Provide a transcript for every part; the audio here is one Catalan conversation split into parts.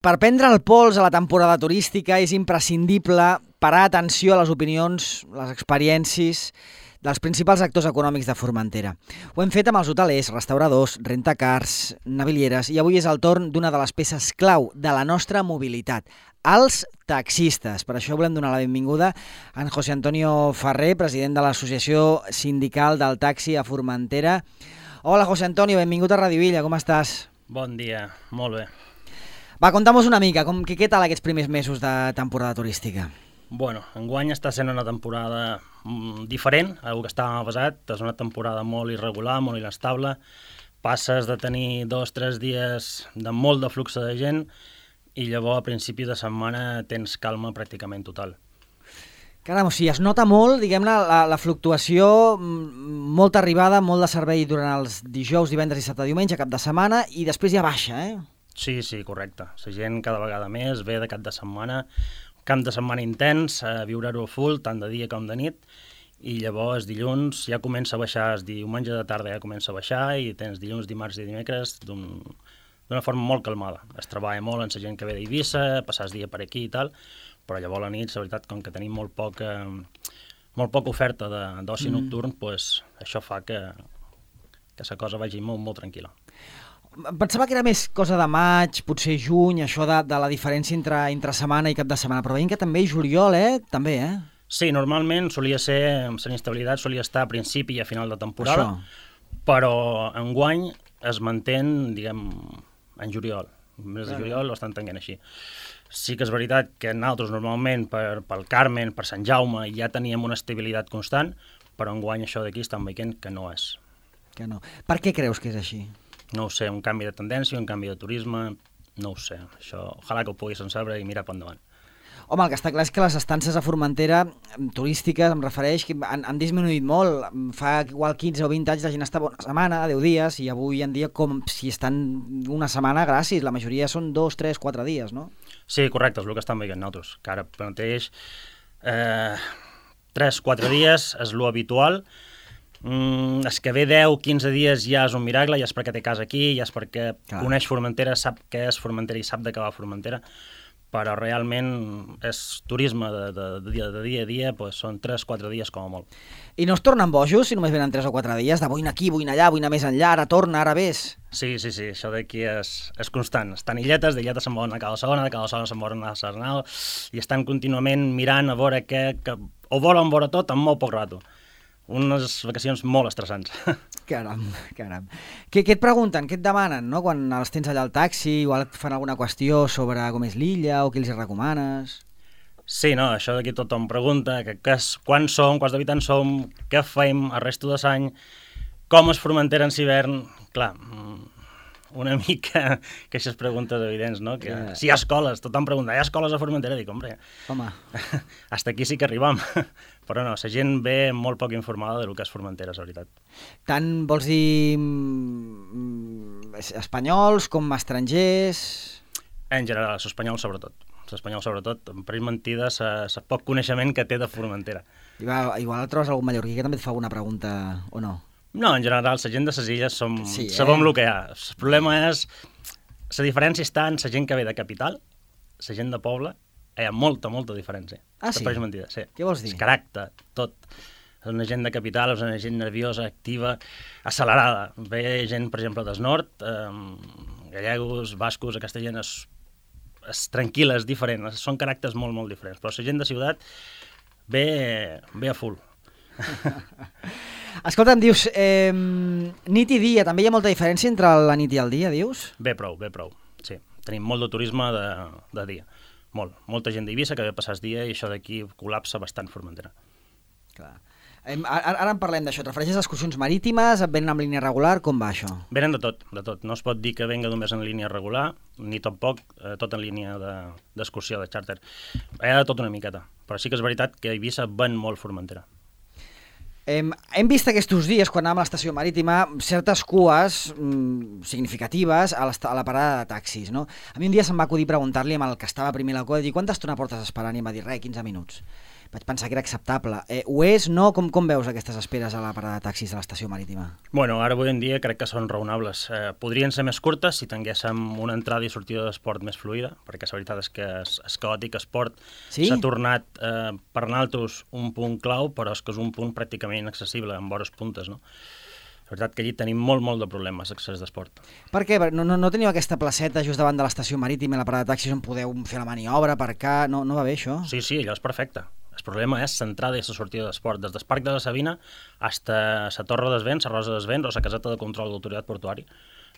Per prendre el pols a la temporada turística és imprescindible parar atenció a les opinions, les experiències dels principals actors econòmics de Formentera. Ho hem fet amb els hotelers, restauradors, rentacars, navilieres i avui és el torn d'una de les peces clau de la nostra mobilitat, els taxistes. Per això volem donar la benvinguda a en José Antonio Ferrer, president de l'Associació Sindical del Taxi a Formentera. Hola, José Antonio, benvingut a Radio Illa, com estàs? Bon dia, molt bé. Va, conta'm-nos una mica, què tal aquests primers mesos de temporada turística? Bueno, enguany està sent una temporada diferent al que estàvem passat. És una temporada molt irregular, molt inestable. Passes de tenir 2 o 3 dies de molt de flux de gent i llavors a principi de setmana tens calma pràcticament total. Caram, o sigui, es nota molt, diguem-ne, la fluctuació, molta arribada, molt de servei durant els dijous, divendres, dissabte, diumenge, cap de setmana, i després ja baixa, eh? Sí, correcte. La gent cada vegada més ve de cap de setmana, camp de setmana intens, a viure-ho full, tant de dia com de nit, i llavors dilluns ja comença a baixar, diumenge de tarda ja comença a baixar, i tens dilluns, dimarts i dimecres d'una forma molt calmada. Es treballa molt amb la gent que ve d'Eivissa, passar el dia per aquí i tal, però llavors a la nit, la veritat, com que tenim molt poca oferta d'oci nocturn, pues, això fa que la cosa vagi molt, molt tranquil·la. Pensava que era més cosa de maig, potser juny, això de la diferència entre setmana i cap de setmana, però veiem que també juliol, també, eh? Sí, normalment solia ser, la inestabilitat solia estar a principi i a final de temporada, però enguany es mantén, diguem, en juliol. El mes de juliol ho estan tenint així. Sí que és veritat que nosaltres normalment pel Carmen, per Sant Jaume, ja teníem una estabilitat constant, però enguany això d'aquí estan veient que no és. Que no. Per què creus que és així? No ho sé, un canvi de tendència, un canvi de turisme, no ho sé. Això, ojalà que ho puguis saber i mirar per endavant. Home, el que està clar és que les estances a Formentera turístiques, em refereix, que han disminuït molt. Fa igual 15 o 20 anys la gent estava una setmana, 10 dies, i avui en dia com si estan una setmana gràcies. La majoria són 2, 3, 4 dies, no? Sí, correcte, és el que estan veient nosaltres, que ara mateix 3-4 dies és lo habitual. És que ve 10-15 dies ja és un miracle, ja és perquè té casa aquí, ja és perquè coneix Formentera, sap què és Formentera i sap de què va Formentera, però realment és turisme de dia a dia, doncs són 3-4 dies com a molt. I no es tornen bojos si només venen 3 o 4 dies, de vull anar aquí, vull anar allà, vull anar més enllà, ara torna, ara ves? Sí, això d'aquí és constant. Estan illetes, d'illetes se'n volen a cada segona, de cada segona se'n volen a Sarnal, i estan contínuament mirant a veure què, ho volen veure tot en molt poc rato. Unes vacacions molt estressants. Caram. Què et pregunten, què et demanen, no? Quan els tens allà al taxi, igual et fan alguna qüestió sobre com és l'illa o què els recomanes? Sí, no, això d'aquí tothom pregunta quants som, quants habitants som, què fem el resto de l'any, com es Formentera en l'hivern. Clar, una mica que aquestes preguntes evidents, no? Que si hi ha escoles, tothom pregunta, hi ha escoles a Formentera? Dic, home, hasta aquí sí que arribam. Però no, la gent ve molt poc informada del que és Formentera, és veritat. Tant vols dir espanyols com estrangers? En general, els espanyols sobretot. L'espanyol sobretot, per ells mentida, el poc coneixement que té de Formentera. Igual trobes algun mallorquí que també et fa alguna pregunta, o no? No, en general, la gent de les illes sabem el que hi ha. El problema és, la diferència està en la gent que ve de capital, la gent de poble, hi ha molta diferència. Ah, sí? Per ells mentida, sí. Què vols dir? El caràcter, tot. És una gent de capital, és una gent nerviosa, activa, accelerada. Ve gent, per exemple, del nord, gallegos, bascos, aquesta gent és tranquil·la, és diferent, són caràcters molt diferents, però la gent de ciutat ve a full. Escolta, em dius, nit i dia, també hi ha molta diferència entre la nit i el dia, dius? Ve prou, sí. Tenim molt de turisme de dia, molta gent d'Eivissa que ve a passar el dia i això d'aquí col·lapsa bastant Formentera. Clar. Ara en parlem d'això, et refereixes a excursions marítimes, venen en línia regular, com va això? Venen de tot, no es pot dir que venga només en línia regular, ni tampoc tot en línia d'excursió, de xàrter. Hi ha de tot una miqueta, però sí que és veritat que a Eivissa ven molt Formentera. Hem vist aquests dies, quan anàvem a l'estació marítima, certes cues significatives a la parada de taxis, no? A mi un dia se'm va acudir preguntar-li amb el que estava primer a la cua, dir, quanta estona portes esperant? I em va dir, 15 minuts. vaig pensar que era acceptable. Ho és, no? Com veus aquestes esperes a la parada de taxis de l'estació marítima? Bueno, ara avui en dia crec que són raonables. Podrien ser més curtes si tinguéssim una entrada i sortida d'esport més fluida, perquè la veritat és que és caòtic, esport s'ha tornat per nosaltres un punt clau, però és que és un punt pràcticament inaccessible, amb hores puntes, no? La veritat que allí tenim molt de problemes d'accés d'esport. Per què? No teniu aquesta placeta just davant de l'estació marítima i la parada de taxis on podeu fer la maniobra, aparcar? No va bé això? Sí, allò és perfecte. El problema és l'entrada i la sortida d'esport, des del Parc de la Sabina fins a la Torre dels Vents, la Rosa dels Vents o la caseta de control de l'autoritat portuària.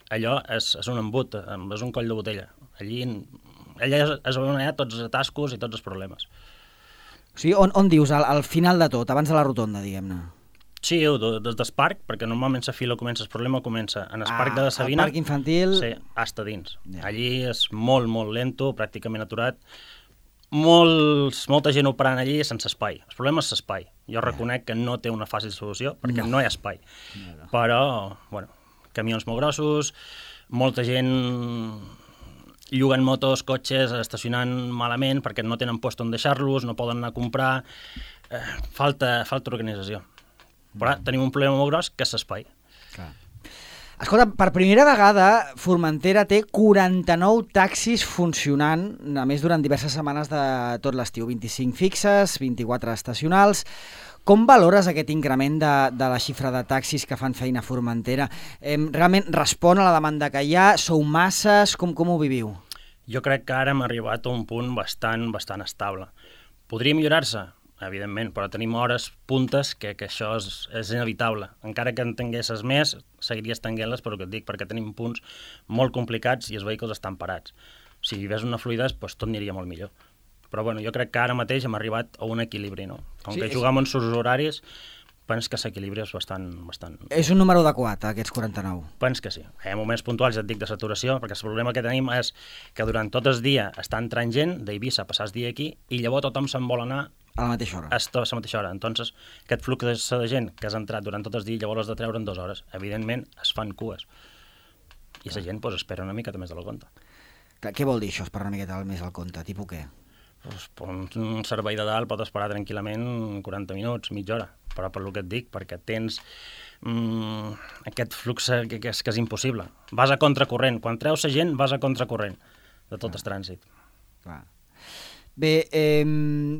Allò és un embut, és un coll de botella. Allà és on hi ha tots els atascos i tots els problemes. O sigui, on dius, al final de tot, abans de la rotonda, diguem-ne? Sí, des del parc, perquè normalment la fila comença, el problema comença en el Parc de la Sabina. El parc infantil... Sí, hasta dins. Yeah. Allí és molt lento, pràcticament aturat. Molta gent operant allí sense espai. El problema és l'espai. Jo reconec que no té una fàcil solució, perquè no hi ha espai. Però, bueno, camions molt grossos, molta gent lloguen motos, cotxes, estacionant malament perquè no tenen lloc on deixar-los, no poden anar a comprar. Falta organització. Però tenim un problema molt gros, que és l'espai. Escolta, per primera vegada Formentera té 49 taxis funcionant, a més durant diverses setmanes de tot l'estiu, 25 fixes, 24 estacionals. Com valores aquest increment de la xifra de taxis que fan feina a Formentera? Realment respon a la demanda que hi ha? Sou masses? Com ho viviu? Jo crec que ara hem arribat a un punt bastant estable. Podria millorar-se? Evidentment, però tenim hores puntes que això és inevitable. Encara que en tinguessis més, seguiries tenint-les, però que et dic, perquè tenim punts molt complicats i els vehicles estan parats. Si hi hagués una fluïdesa, doncs tot aniria molt millor. Però bueno, jo crec que ara mateix hem arribat a un equilibri, no? Com que juguem en sus horaris, penso que l'equilibri és bastant... És un número adequat, aquests 49? Penso que sí. Hi ha moments puntuals, ja et dic, de saturació, perquè el problema que tenim és que durant tot el dia està entrant gent d'Eivissa a passar el dia aquí i llavors tothom se'n vol anar a la mateixa hora. A la mateixa hora. Entonces, aquest flux de gent que has entrat durant tot el dia, llavors has de treure en 2 hores. Evidentment, es fan cues. I la gent espera una miqueta més de la compte. Què vol dir això, esperar una miqueta més al compte? Tipus què? Un servei de dalt pot esperar tranquil·lament 40 minuts, mitja hora. Però per el que et dic, perquè tens aquest flux que és impossible. Vas a contracorrent. Quan treus la gent, vas a contracorrent de tot el trànsit. Clar. Bé,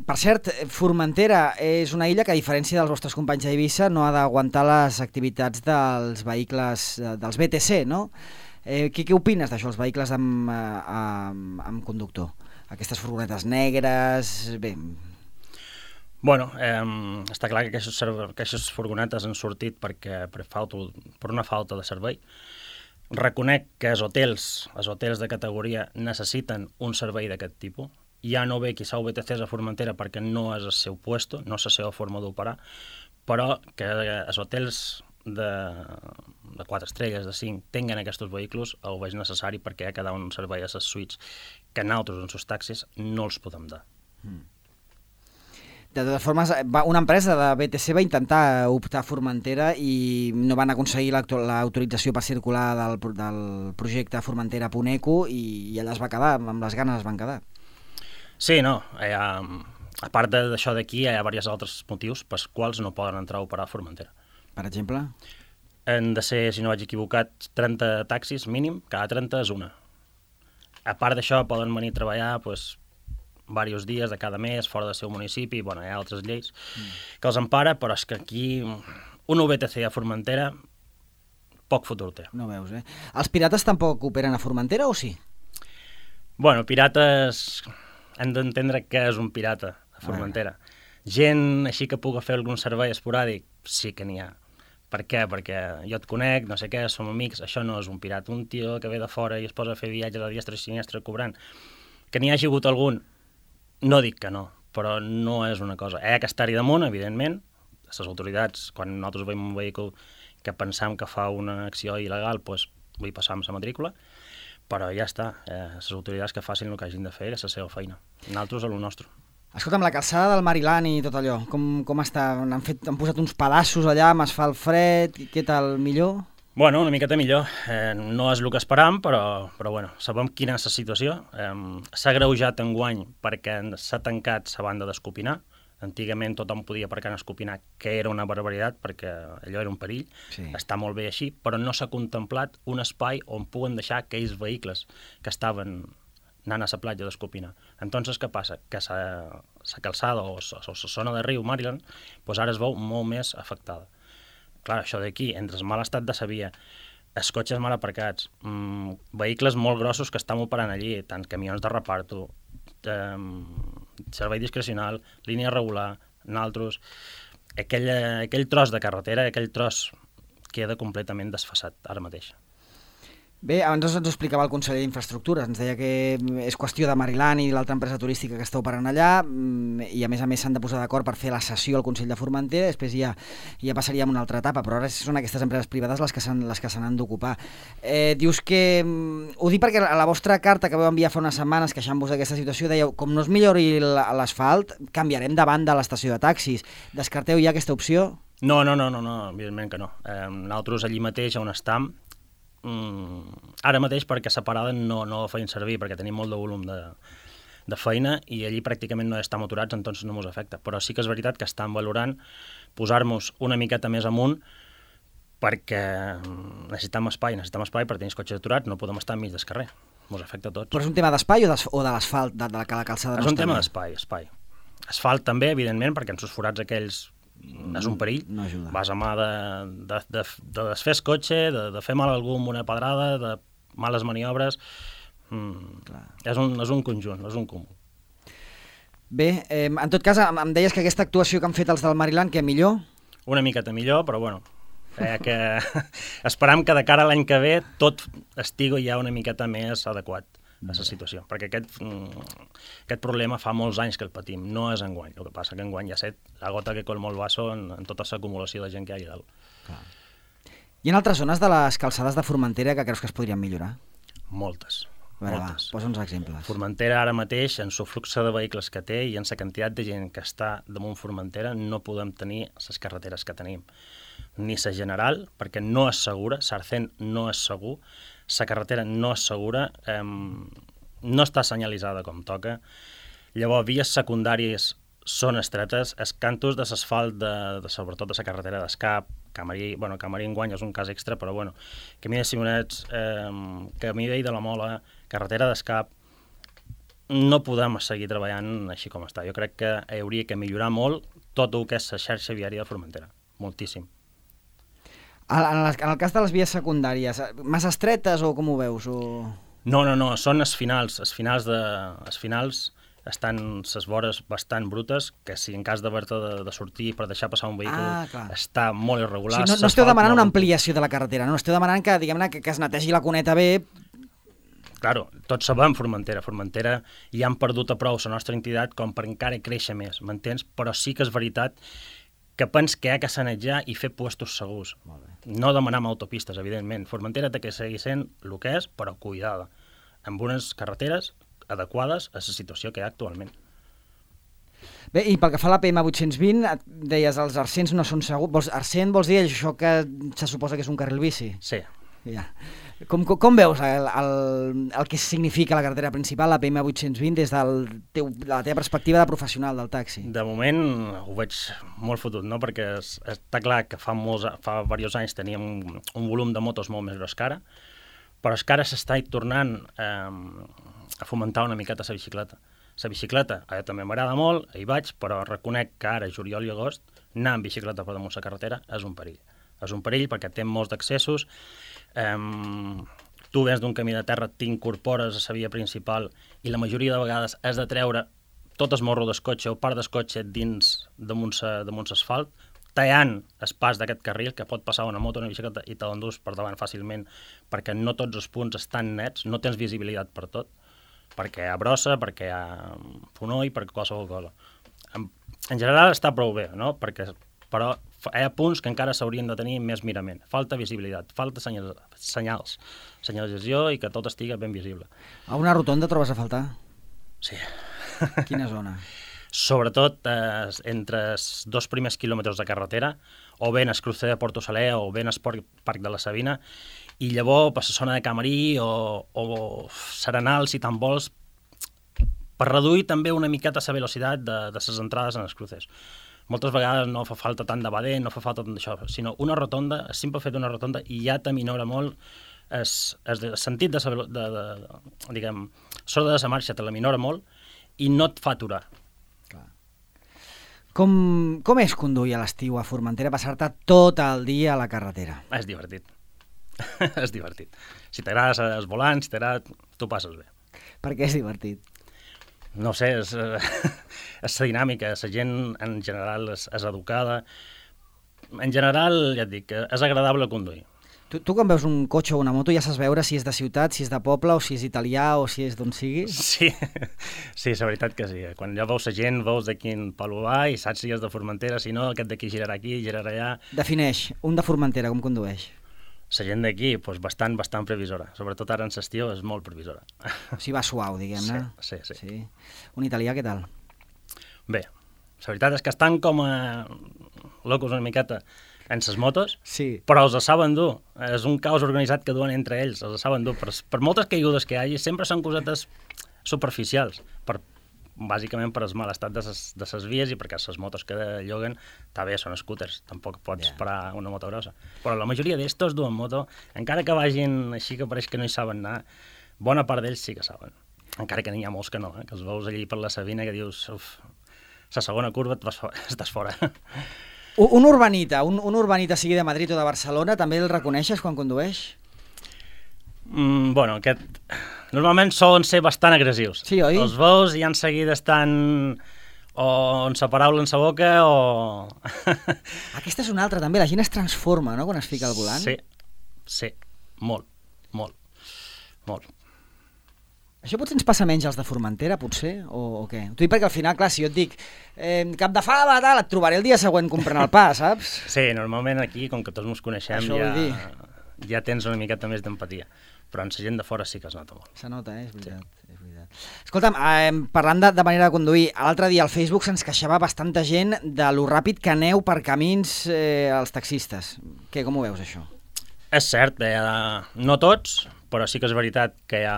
per cert, Formentera és una illa que, a diferència dels vostres companys d'Eivissa, no ha d'aguantar les activitats dels vehicles, dels BTC, no? Què opines d'això, els vehicles amb conductor? Aquestes furgonetes negres... Bé... Bueno, està clar que aquestes furgonetes han sortit per una falta de servei. Reconec que els hotels de categoria necessiten un servei d'aquest tipus. Ja no ve qui s'ha VTCs a Formentera perquè no és el seu puesto, no és la seva forma d'operar, però que els hotels de 4 estrelles, de 5, tinguen aquests vehicles, ho veig necessari perquè hi ha cada un servei a les suites que nosaltres en els taxis no els podem dar. De totes formes, una empresa de BTC va intentar optar a Formentera i no van aconseguir l'autorització per circular del projecte Formentera.eco i allà es va quedar, amb les ganes es van quedar. Sí, no. A part d'això d'aquí, hi ha diversos altres motius pels quals no poden entrar a operar a Formentera. Per exemple? Han de ser, si no vaig equivocat, 30 taxis mínim, cada 30 és una. A part d'això, poden venir a treballar diversos dies de cada mes fora del seu municipi, hi ha altres lleis que els empara, però és que aquí un VTC a Formentera poc futur té. No veus, eh? Els pirates tampoc operen a Formentera o sí? Bueno, pirates... hem d'entendre què és un pirata a Formentera. Gent així que pugui fer algun servei esporàdic, sí que n'hi ha. Per què? Perquè jo et conec, no sé què, som amics, això no és un pirata. Un tio que ve de fora i es posa a fer viatges a diestra i siniestra cobrant. Que n'hi hagi hagut algun, no dic que no, però no és una cosa. Hi ha que estar-hi damunt, evidentment. Les autoritats, quan nosaltres veiem un vehicle que pensam que fa una acció il·legal, vull passar amb la matrícula, però ja està, les autoritats que facin el que hagin de fer és la seva feina. Nosaltres a lo nostre. Escolta'm, la calçada del Mariland i tot allò, com està? Han posat uns pedaços allà amb asfalt fred, què tal, millor? Bueno, una miqueta millor. No és el que esperàvem, però bueno, sabem quina és la situació. S'ha agreujat enguany perquè s'ha tancat la banda d'Escopinar. Antigament tothom podia aparcar en Escopinar, que era una barbaritat, perquè allò era un perill. Sí. Està molt bé així, però no s'ha contemplat un espai on puguen deixar aquells vehicles que estaven anant a la platja d'Escopinar. Entonces, què passa? Que la calçada o la zona de riu Maryland doncs ara es veu molt més afectada. Clar, això d'aquí, entre el mal estat de la via, els cotxes mal aparcats, vehicles molt grossos que estan operant allí, tant camions de reparto, servei discrecional, línia regular, naltros, aquell tros de carretera, aquell tros queda completament desfasat ara mateix. Bé, abans ens ho explicava el conseller d'Infraestructures, ens deia que és qüestió de Maryland i l'altra empresa turística que està operant allà, i a més s'han de posar d'acord per fer la sessió al Consell de Formentera, després ja passaríem a una altra etapa, però ara són aquestes empreses privades les que se n'han d'ocupar. Dius que, ho dic perquè a la vostra carta que vau enviar fa unes setmanes queixant-vos d'aquesta situació, dèieu, com no es millori l'asfalt, canviarem de banda a l'estació de taxis. Descarteu ja aquesta opció? No, evidentment que no. Nosaltres allí mateix on estem, ara mateix perquè la parada no la feien servir perquè tenim molt de volum de feina i allí pràcticament no estem aturats, entonces no ens afecta, però sí que és veritat que estan valorant posar-nos una miqueta més amunt perquè necessitem espai per tenir els cotxes aturats, no podem estar enmig del carrer, ens afecta a tots. Però és un tema d'espai o de l'asfalt, de la calçada? És un tema d'espai. Asfalt també, evidentment, perquè en els forats aquells és un perill, no ajuda. Vas a mà de desfer el cotxe, de fer mal a algú amb una pedrada, de males maniobres, és un conjunt, és un comú. Bé, en tot cas, em deies que aquesta actuació que han fet els del Maryland, que millor? Una miqueta millor, però bueno, que esperam que de cara a l'any que ve tot estigui ja una miqueta més adequat a la situació, perquè aquest problema fa molts anys que el patim, no és enguany. El que passa que enguany ja set la gota que colma el vaso en tota l'acumulació de gent que hi ha allà dalt. Clar. Hi ha altres zones de les calçades de Formentera que creus que es podrien millorar? Moltes. Posa uns exemples. Formentera ara mateix, en el flux de vehicles que té i en la quantitat de gent que està damunt Formentera, no podem tenir les carreteres que tenim. Ni la general, perquè no és segura, Sarcent no és segur, la carretera no és segura, no està senyalitzada com toca, llavors vies secundàries són estretes, els cantos de l'asfalt, sobretot de la carretera d'Escap, Camarí enguany és un cas extra, però bueno, camí de Simonets, camí vell de la Mola, carretera d'Escap, no podem seguir treballant així com està. Jo crec que hauria que millorar molt tot el que és la xarxa viària de Formentera, moltíssim. En el cas de les vies secundàries, massa estretes o com ho veus? No, són els finals. Els finals estan les vores bastant brutes, que si en cas d'haver-te de sortir per deixar passar un vehicle està molt irregular. O sigui, no esteu demanant una ampliació de la carretera, no? Esteu demanant que, diguem-ne, que es netegi la cuneta bé. Claro, tots sabem Formentera ja han perdut a prou la nostra entitat com per encara créixer més, m'entens? Però sí que és veritat que pens que hi ha que sanejar i fer puestos segurs. No demanar autopistes, evidentment. Formentera té que seguir sent el que és, però cuidada, amb unes carreteres adequades a la situació que hi ha actualment. Bé, i pel que fa a la PM 820, deies, els arcents no són segurs. Arcent vols dir això que se suposa que és un carril bici? Sí. Ja. Com veus el que significa la carretera principal, la PM 820, des de la teva perspectiva de professional del taxi? De moment ho veig molt fotut, no? Perquè està clar que fa diversos anys teníem un volum de motos molt més gros que ara, però és que ara s'està tornant a fomentar una miqueta la bicicleta. La bicicleta també m'agrada molt, hi vaig, però reconec que ara, juliol i agost, anar amb bicicleta per damunt la carretera és un perill. És un perill perquè té molts d'accessos, tu vens d'un camí de terra, t'incorpores a la via principal i la majoria de vegades has de treure tot el morro del cotxe o part del cotxe damunt l'asfalt, tallant el pas d'aquest carril, que pot passar una moto o una bicicleta i te l'endús per davant fàcilment, perquè no tots els punts estan nets, no tens visibilitat per tot, perquè hi ha brossa, perquè hi ha fonoll, perquè qualsevol cosa. En general està prou bé, no? Però hi ha punts que encara s'haurien de tenir més mirament. Falta visibilitat, falta senyals, senyalització i que tot estigui ben visible. A una rotonda trobes a faltar? Sí. Quina zona? Sobretot entre els 2 primers quilòmetres de carretera, o bé en el crucer de Porto Saler o bé en el Parc de la Sabina, i llavors per la zona de Camarí o Serenal, si te'n vols, per reduir també una miqueta la velocitat de les entrades en els cruces. Moltes vegades no fa falta tant de badé, no fa falta tant d'això, sinó una rotonda, el simple fet d'una rotonda, i ja t'aminora molt el sentit diguem, sorda de la marxa te l'aminora molt i no et fa aturar. Com és conduir a l'estiu a Formentera, passar-te tot el dia a la carretera? És divertit. És divertit. Si t'agrada els volants, tu passes bé. Per què és divertit? No sé, és la dinàmica, la gent en general és educada. En general, ja et dic, és agradable conduir. Tu quan veus un cotxe o una moto ja saps veure si és de ciutat, si és de poble, o si és italià, o si és d'on sigui? Sí, la veritat que sí. Quan ja veus la gent, veus de quin palo va i saps si és de Formentera, si no, aquest d'aquí girarà aquí, girarà allà. Defineix un de Formentera, com condueix? La gent d'aquí, doncs bastant previsora. Sobretot ara en l'estiu és molt previsora. O sigui, va suau, diguem-ne. Sí. Un italià, què tal? Bé, la veritat és que estan com a locos una miqueta en les motos, sí, però els saben dur. És un caos organitzat que duen entre ells, els saben dur. Per moltes caigudes que hi hagi, sempre són cosetes superficials, bàsicament per el mal estat de les vies i perquè les motos que lloguen també són scooters, tampoc pots parar una moto grossa. Però la majoria d'ells tots duen moto, encara que vagin així que pareix que no hi saben anar, bona part d'ells sí que saben. Encara que n'hi ha molts que no, que els veus allí per la Sabina que dius, la segona curva estàs fora. Un urbanita sigui de Madrid o de Barcelona, també el reconeixes quan condueix? Bueno, normalment solen ser bastant agressius. Sí, oi? Els veus i en seguida estan o en sa paraula en sa boca o... Aquesta és una altra també, la gent es transforma, no?, quan es fica al volant. Sí, molt. Això potser ens passa menys als de Formentera, potser, o què? T'ho dic perquè al final, clar, si jo et dic cap de fava, tal, et trobaré el dia següent comprant el pa, saps? Sí, normalment aquí, com que tots ens coneixem, ja tens una miqueta més d'empatia. Però en la gent de fora sí que es nota molt. Se nota, és veritat. Sí. És veritat. Escolta'm, parlant de manera de conduir, l'altre dia al Facebook se'ns queixava bastanta gent de lo ràpid que aneu per camins els taxistes. Què, com ho veus, això? És cert, no tots, però sí que és veritat que hi ha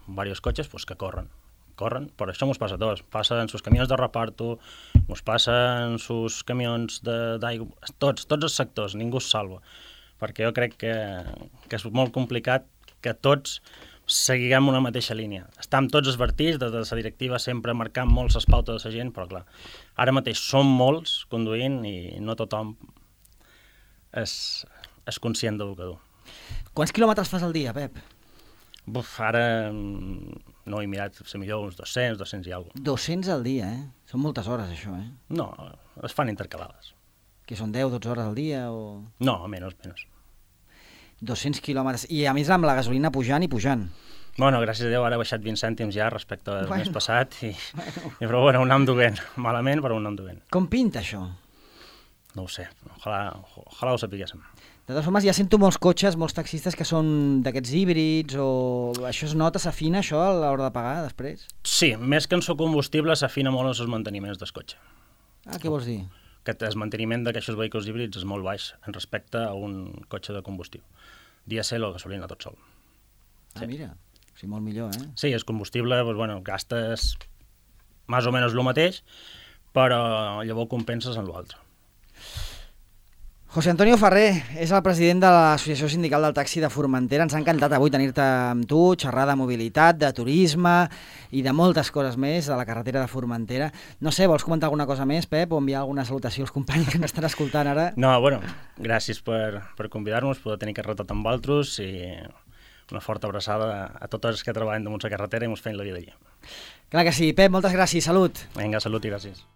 diversos cotxes que corren, però això mos passa a tots. Passa en sus camions de reparto, mos passa en sus camions d'aigua, tots els sectors, ningú es salva. Perquè jo crec que és molt complicat que tots seguiguem una mateixa línia. Estem tots esvertits, des de la directiva sempre marcant molt les pautes de la gent, però clar, ara mateix som molts conduint i no tothom és conscient del que du. Quants quilòmetres fas al dia, Pep? Ara no he mirat, potser millor uns 200 i alguna cosa. 200 al dia, eh? Són moltes hores, això, eh? No, es fan intercalades. Que són 10-12 hores al dia o...? No, menys. 200 quilòmetres. I a més amb la gasolina pujant i pujant. Bueno, gràcies a Déu, ara ha baixat 20 cèntims ja respecte al mes passat. Però bueno, ho anem duent. Malament, però ho anem duent. Com pinta això? No ho sé. Ojalà ho sapiguéssim. De totes formes, ja sento molts cotxes, molts taxistes que són d'aquests híbrids o... Això es nota, s'afina això a l'hora de pagar després? Sí, més que en seu combustible s'afina molt els manteniments del cotxe. Ah, què vols dir? Que el manteniment d'aquests vehicles híbrids és molt baix en respecte a un cotxe de combustió. Dièsel o gasolina tot sol. Ah, mira, o sigui, molt millor, eh? Sí, el combustible, doncs, bueno, gastes més o menys el mateix, però llavors compenses en l'altre. José Antonio Ferrer és el president de l'Associació Sindical del Taxi de Formentera. Ens ha encantat avui tenir-te amb tu, xerrar de mobilitat, de turisme i de moltes coses més de la carretera de Formentera. No sé, vols comentar alguna cosa més, Pep, o enviar alguna salutació als companys que ens estan escoltant ara? No, bueno, gràcies per convidar-nos, poder tenir carretat amb vosaltres i una forta abraçada a tots els que treballen damunt la carretera i ens feien la vida allà. Clar que sí. Pep, moltes gràcies. Salut. Vinga, salut i gràcies.